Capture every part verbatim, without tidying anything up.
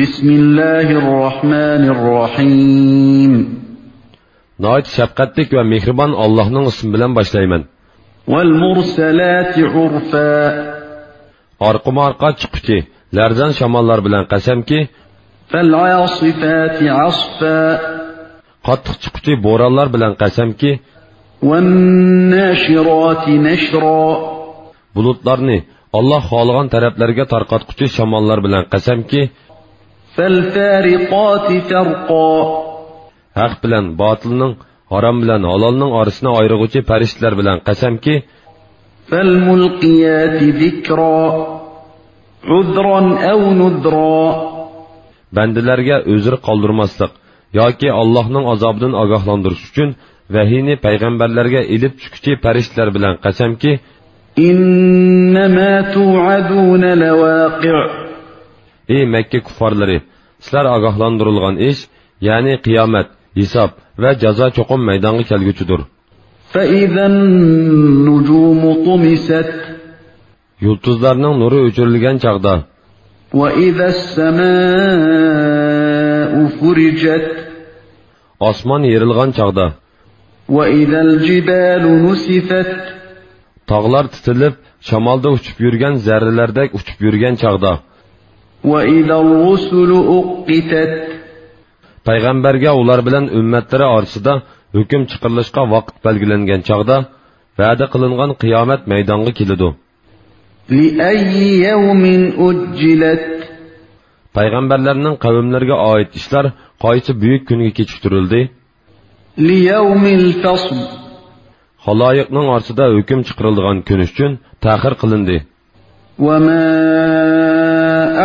بسم الله الرحمن الرحيم. ناھايىتى شەپقەتلىك ۋە مېھرىبان ئاللاھنىڭ ئىسمى بىلەن باشلايمەن. والمرسلات عرفا. ئارقىمۇئارقا چىققۇچى، لەرزان شاماللار بىلەن قەسەمكى، فالعاصفات عصفا. قاتتىق چىققۇچى بورانلار بىلەن قەسەمكى، والناشرات نشرا. بۇلۇتلارنى ئاللاھ خالىغان تەرەپلەرگە تارقاتقۇچى شاماللار بىلەن قەسەمكى، فالفارقات فرقا. ھەق بىلەن باتىلنىڭ، ھارام بىلەن ھالالنىڭ ئارىسىنى ئايرىغۇچى پەرىشتىلەر بىلەن قەسەمكى، فالملقيات ذكرا. عذرا أو نذرا. بەندىلەرگە ئۆزرە قالدۇرماسلىق ياكى ئاللاھنىڭ ئازابىدىن ئاگاھلاندۇرۇش ئۈچۈن ۋەھىينى پەيغەمبەرلەرگە ئېلىپ چۈشكۈچى پەرىشتىلەر بىلەن قەسەمكى، إنما توعدون لواقع. ئى مەككە كۇففارلىرى، سىلەر ئاگاھلاندۇرۇلغان ئىش، يەنى قىيامەت، ھېساب ۋە جازا چوقۇم مەيدانغا كەلگۈچىدۇر. فإذا النجوم طمست. يۇلتۇزلارنىڭ نۇرى ئۆچۈرۈلگەن چاغدا. وإذا السماء فرجت. ئاسمان يېرىلغان چاغدا. وإذا الجبال نسفت. تاغلار تىتىلىپ، شامالدا ئۇچۇپ يۈرگەن زەررىلەردەك ئۇچۇپ يۈرگەن چاغدا. وإذا الرسل أقتت. پەيغەمبەرگە ئۇلار بىلەن ئۈممەتلىرى ئارىسىدا ھۆكۈم چىقىرىلىشقا ۋاقىت بەلگىلەنگەن چاغدا، ۋەدە قىلىنغان قىيامەت مەيدانغا كېلىدۇ. لأي يوم أجلت. پەيغەمبەرلەرنىڭ قەۋملىرىگە ئائىت ئىشلار قايسى بۈيۈك كۈنگە كېچىكتۈرۈلدى؟ ليوم الفصل. خالايىقنىڭ ئارىسىدا ھۆكۈم چىقىرىلىدىغان كۈن ئۈچۈن تەخىر قىلىندى. وما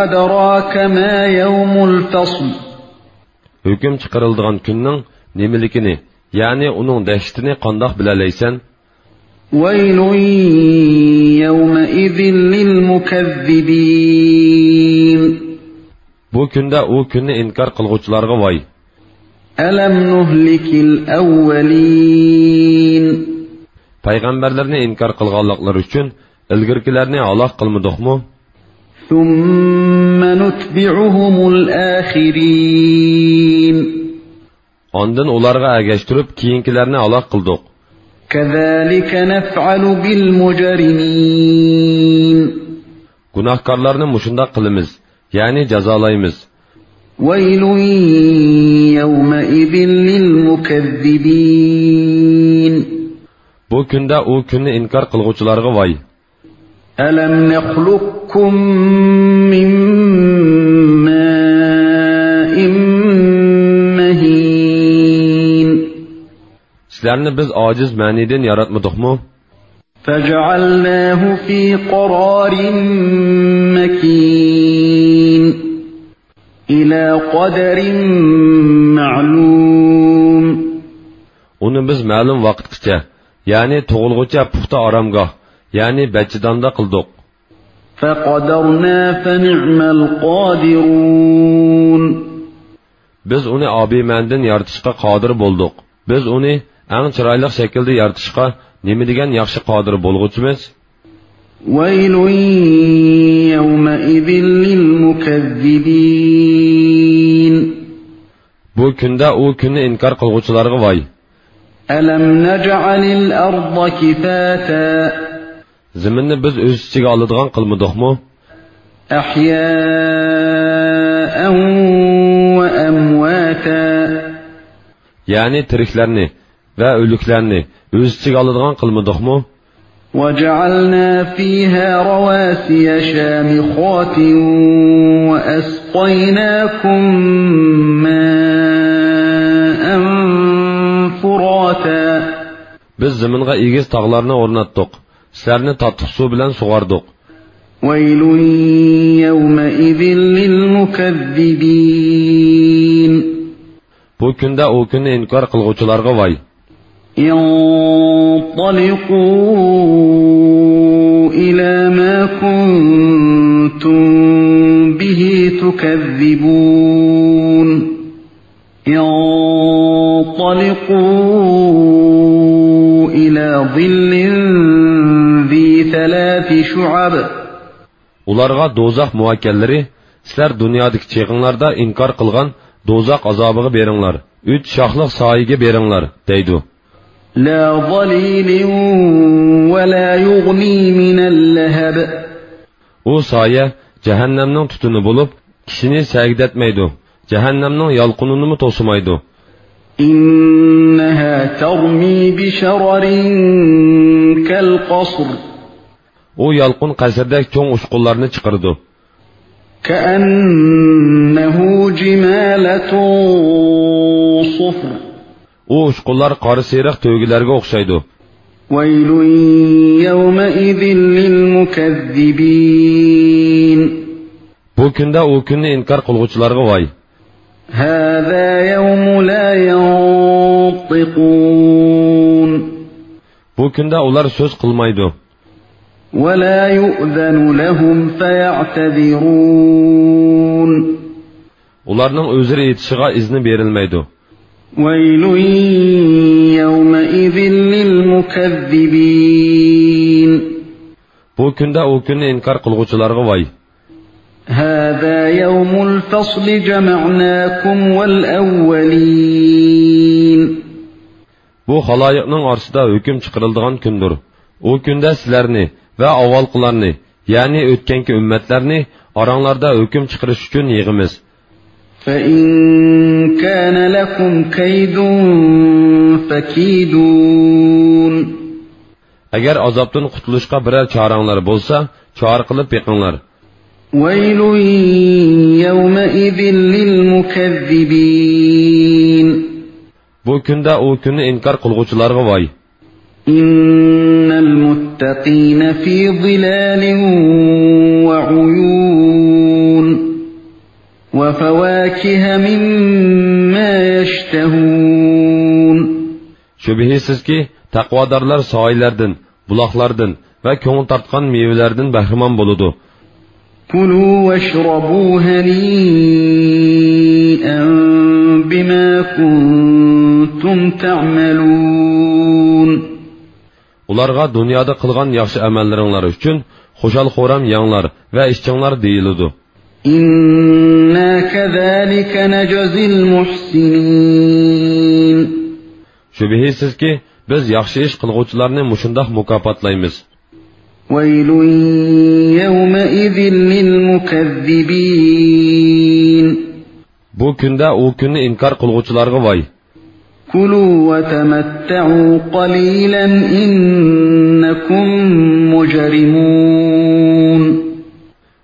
أدراك ما يوم الفصل. ھۆكۈم چىقىرىلىدىغان كۈننىڭ نېمىلىكىنى، يەنى ئۇنىڭ دەھشىتىنى قانداق بىلەلەيسەن؟ ويل يومئذ للمكذبين. بۇ كۈندە ئۇ كۈننى ئىنكار قىلغۇچىلارغا ۋاي! ألم نهلك الأولين. پەيغەمبەرلەرنى ئىنكار قىلغانلىقلىرى ئۈچۈن ئىلگىرىكىلەرنى ھالاك قىلمىدۇقمۇ؟ ثم نتبعهم الآخرين. ئاندىن ئۇلارغا ئەگەشتۈرۈپ كېيىنكىلەرنى ھالاك قىلدۇق. كذلك نفعل بالمجرمين. گۇناھكارلارنى مۇشۇنداق قىلىمىز، يەنى جازالايمىز. ويل يومئذ للمكذبين. بۇ كۈندە ئۇ كۈننى ئىنكار قىلغۇچىلارغا ۋاي! ألم نخلقكم من ماء مهين. سىلەرنى بىز ئاجىز مەنىدىن ياراتمىدۇقمۇ؟ فجعلناه في قرار مكين. إلى قدر معلوم. ئۇنى بىز مەلۇم ۋاقىتقىچە، يەنى تۇغۇلغۇچە پۇختا ئارامگاھ، يەنى بەچچىداندا قىلدۇق. فقدرنا فنعم القادرون. بىز ئۇنى ئابىمەنىدىن يارىتىشقا قادىر بولدۇق. بىز ئۇنى ئەڭ چىرايلىق شەكىلدە يارىتىشقا نېمە دېگەن ياخشى قادىر بولغۇچىمىز! ويل يومئذ للمكذبين. بۇ كۈندە ئۇ كۈننى ئىنكار قىلغۇچىلارغا ۋاي! ألم نجعل الأرض كفاتا. زېمىننى بىز ئۆز ئىچىگە ئالىدىغان قىلمىدۇقمۇ؟ أحياء وأمواتا. يەنى تىرىكلەرنى ۋە ئۆلۈكلەرنى ئۆز ئىچىگە ئالىدىغان قىلمىدۇقمۇ؟ وجعلنا فيها رواسي شامخات وأسقيناكم ماء فراتا. بىز زېمىنغا ئېگىز تاغلارنى ئورناتتۇق، سىلەرنى تاتلىق سۇ بىلەن سۇغاردۇق. ويل يومئذ للمكذبين. بۇ كۈندە ئۇ كۈننى ئىنكار قىلغۇچىلارغا ۋاي! انطلقوا إلى ما كنتم به تكذبون. انطلقوا إلى ظل ذي ثلاث شعب. ئۇلارغا دوزاخ مۇئەككەللىرى سىلەر دۇنيادىكى چېغىڭلاردا ئىنكار قىلغان دوزاخ ئازابىغا بېرىڭلار، ئۈچ شاخلىق سايىگە بېرىڭلار، دەيدۇ. لا ظليل ولا يغني من اللهب. ئۇ سايە جەھەننەمنىڭ تۈتۈنى بولۇپ، كىشىنى سەگىدەتمەيدۇ، جەھەننەمنىڭ يالقۇنىنىمۇ توسىمايدۇ. إنها ترمي بشرر كالقصر. ئۇ يالقۇن قەسىردەك چوڭ ئۇچقۇنلارنى چىقىرىدۇ. كأنه جمالة صفر. ئۇ ئۇچقۇنلار قارا سېرىق تۆگىلەرگە ئوخشايدۇ. ويل يومئذ للمكذبين. بۇ كۈندە ئۇ كۈننى ئىنكار قىلغۇچىلارغا ۋاي. هذا يوم لا ينطقون. بۇ كۈندە ئۇلار سۆز قىلمايدۇ. ولا يؤذن لهم فيعتذرون. ئۇلارنىڭ ئۆزرە ئېيتىشىغا ئىزنى بېرىلمەيدۇ. ويل يومئذ للمكذبين. بۇ كۈندە ئۇ كۈننى ئىنكار قىلغۇچىلارغا ۋاي. هذا يوم الفصل جمعناكم والأولين. بۇ خالايىقنىڭ ئارىسىدا ھۆكۈم چىقىرىلىدىغان كۈندۇر. ئۇ كۈندە سىلەرنى ۋە ئاۋۋالقىلارنى، يەنى ئۆتكەنكى ئۈممەتلەرنى ئاراڭلاردا ھۆكۈم چىقىرىش ئۈچۈن يىغىمىز. فإن كان لكم كيد فكيدون. ئەگەر ئازابتىن قۇتۇلۇشقا بىرەر چارەڭلار بولسا، چارە قىلىپ بېقىڭلار. ويل يومئذ للمكذبين. بۇ كۈندە ئۇ كۈننى ئىنكار قىلغۇچىلارغا ۋاي. إن المتقين في ظلال وعيون. وفواكه مما يشتهون. شۈبھىسىزكى، تەقۋادارلار سايىلەردىن، بۇلاقلاردىن ۋە كۆڭۈل تارتقان مېۋىلەردىن بەھرىمەن بولىدۇ. كلوا واشربوا هنيئا بما كنتم تعملون. ئۇلارغا دۇنيادا قىلغان ياخشى ئەمەللىرىڭلار ئۈچۈن خۇشال-خۇرام يەڭلار ۋە ئىچىڭلار دېيىلىدۇ. إنا كذلك نجزي المحسنين. شۈبھىسىزكى، بىز ياخشى ئىش قىلغۇچىلارنى مۇشۇنداق مۇكاپاتلايمىز. ويل يومئذ للمكذبين. بۇ كۈندە ئۇ كۈننى ئىنكار قىلغۇچىلارغا ۋاي. كلوا وتمتعوا قليلا إنكم مجرمون.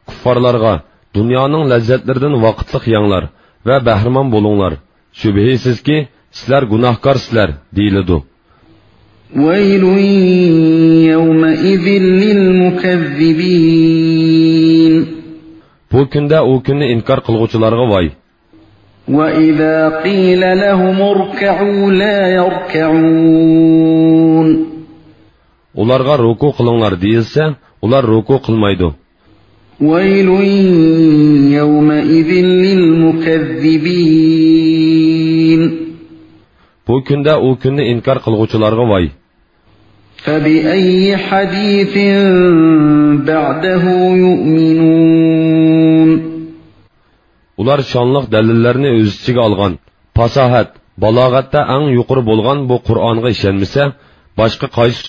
كۇففارلارغا، دۇنيانىڭ لەززەتلىرىدىن ۋاقىتلىق يەڭلار ۋە بەھرىمەن بولۇڭلار. شۈبھىسىزكى، سىلەر گۇناھكارسىلەر، دېيىلىدۇ. ويل يومئذ للمكذبين. بۇ كۈندە ئۇ كۈننى ئىنكار قىلغۇچىلارغا ۋاي. وإذا قيل لهم اركعوا لا يركعون. ئۇلارغا رۇكۇ قىلىڭلار دېيىلسە، ئۇلار رۇكۇ قىلمايدۇ. ويل يومئذ للمكذبين. بۇ كۈندە ئۇ كۈننى ئىنكار قىلغۇچىلارغا ۋاي. فبأي حديث بعده يؤمنون. ئۇلار شانلىق دەلىللەرنى ئۆز ئىچىگە ئالغان، پاساھەت، بالاغەتتە ئەڭ يۇقىرى بولغان بۇ قۇرئانغا ئىشەنمىسە، باشقا قايسى